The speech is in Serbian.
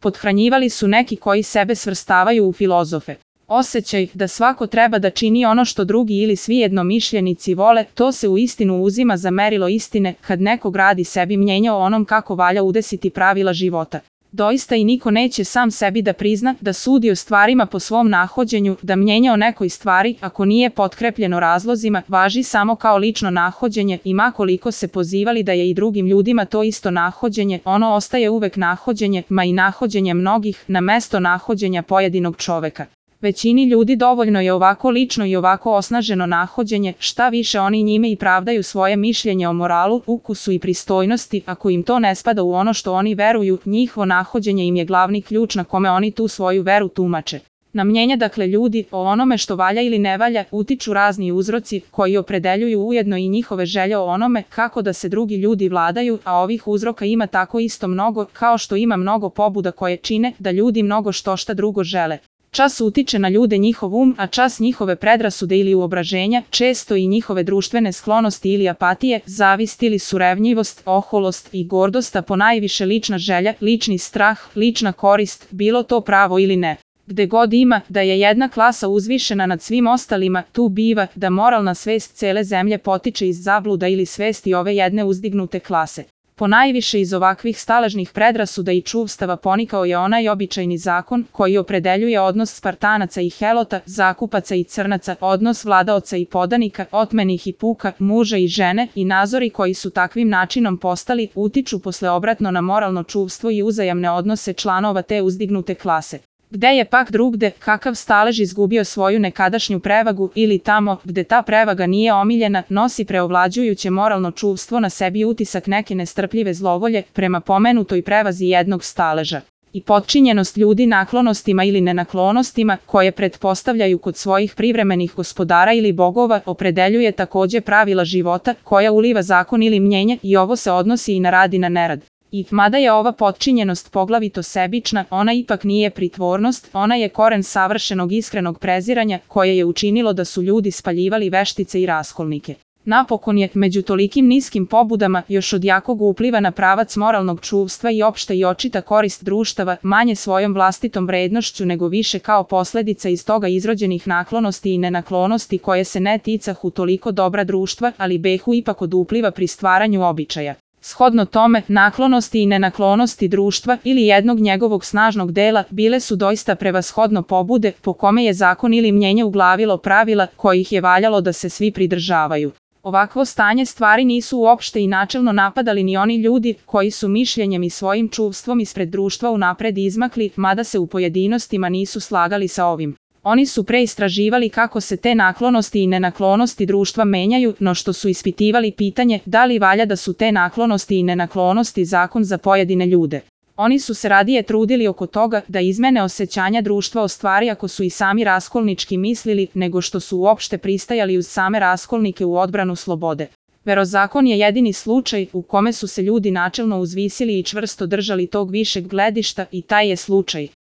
Pothranjivali su neki koji sebe svrstavaju u filozofe. Osjećaj da svako treba da čini ono što drugi ili svi jednomišljenici vole, to se uistinu uzima za merilo istine kad neko gradi sebi mnjenje o onom kako valja udesiti pravila života. Doista i niko neće sam sebi da prizna, da sudi o stvarima po svom nahođenju, da mnjenje o nekoj stvari, ako nije potkrepljeno razlozima, važi samo kao lično nahođenje i ma koliko se pozivali da je i drugim ljudima to isto nahođenje, ono ostaje uvek nahođenje, ma i nahođenje mnogih, na mesto nahođenja pojedinog čoveka. Većini ljudi dovoljno je ovako lično i ovako osnaženo nahođenje, šta više oni njime i pravdaju svoje mišljenje o moralu, ukusu i pristojnosti, ako im to ne spada u ono što oni veruju, njihovo nahođenje im je glavni ključ na kome oni tu svoju veru tumače. Na mnjenje dakle ljudi o onome što valja ili ne valja utiču razni uzroci koji opredeljuju ujedno i njihove želje o onome kako da se drugi ljudi vladaju, a ovih uzroka ima tako isto mnogo kao što ima mnogo pobuda koje čine da ljudi mnogo šta drugo žele. Čas utiče na ljude njihov a čas njihove predrasude ili uobraženja, često i njihove društvene sklonosti ili apatije, zavist ili surevnjivost, oholost i gordost, a ponajviše lična želja, lični strah, lična korist, bilo to pravo ili ne. Gde god ima da je jedna klasa uzvišena nad svim ostalima, tu biva da moralna svest cele zemlje potiče iz zabluda ili svesti ove jedne uzdignute klase. Ponajviše iz ovakvih staležnih predrasuda i čuvstava ponikao je onaj običajni zakon koji opredeljuje odnos Spartanaca i Helota, zakupaca i crnaca, odnos vladaoca i podanika, otmenih i puka, muža i žene i nazori koji su takvim načinom postali, utiču posle obratno na moralno čuvstvo i uzajamne odnose članova te uzdignute klase. Gde je pak drugde, kakav stalež izgubio svoju nekadašnju prevagu ili tamo gde ta prevaga nije omiljena, nosi preovlađujuće moralno čuvstvo na sebi utisak neke nestrpljive zlovolje prema pomenutoj prevazi jednog staleža. I potčinjenost ljudi naklonostima ili nenaklonostima koje pretpostavljaju kod svojih privremenih gospodara ili bogova opredeljuje takođe pravila života koja uliva zakon ili mnjenje i ovo se odnosi i na rad i na nerad. I mada je ova potčinjenost poglavito sebična, ona ipak nije pritvornost, ona je koren savršenog iskrenog preziranja koje je učinilo da su ljudi spaljivali veštice i raskolnike. Napokon je, među tolikim niskim pobudama, još od jakog upliva na pravac moralnog čuvstva i opšta i očita korist društava, manje svojom vlastitom vrednošću nego više kao posledica iz toga izrođenih naklonosti i nenaklonosti koje se ne ticahu toliko dobra društva, ali behu ipak od upliva pri stvaranju običaja. Shodno tome, naklonosti i nenaklonosti društva ili jednog njegovog snažnog dela bile su doista prevashodno pobude po kome je zakon ili mnjenje uglavilo pravila kojih je valjalo da se svi pridržavaju. Ovakvo stanje stvari nisu uopšte i načelno napadali ni oni ljudi koji su mišljenjem i svojim čuvstvom ispred društva unapred izmakli, mada se u pojedinostima nisu slagali sa ovim. Oni su pre istraživali kako se te naklonosti i nenaklonosti društva menjaju, no što su ispitivali pitanje da li valja da su te naklonosti i nenaklonosti zakon za pojedine ljude. Oni su se radije trudili oko toga da izmene osjećanja društva o stvari ako su i sami raskolnički mislili, nego što su uopšte pristajali uz same raskolnike u odbranu slobode. Verozakon je jedini slučaj u kome su se ljudi načelno uzvisili i čvrsto držali tog višeg gledišta i taj je slučaj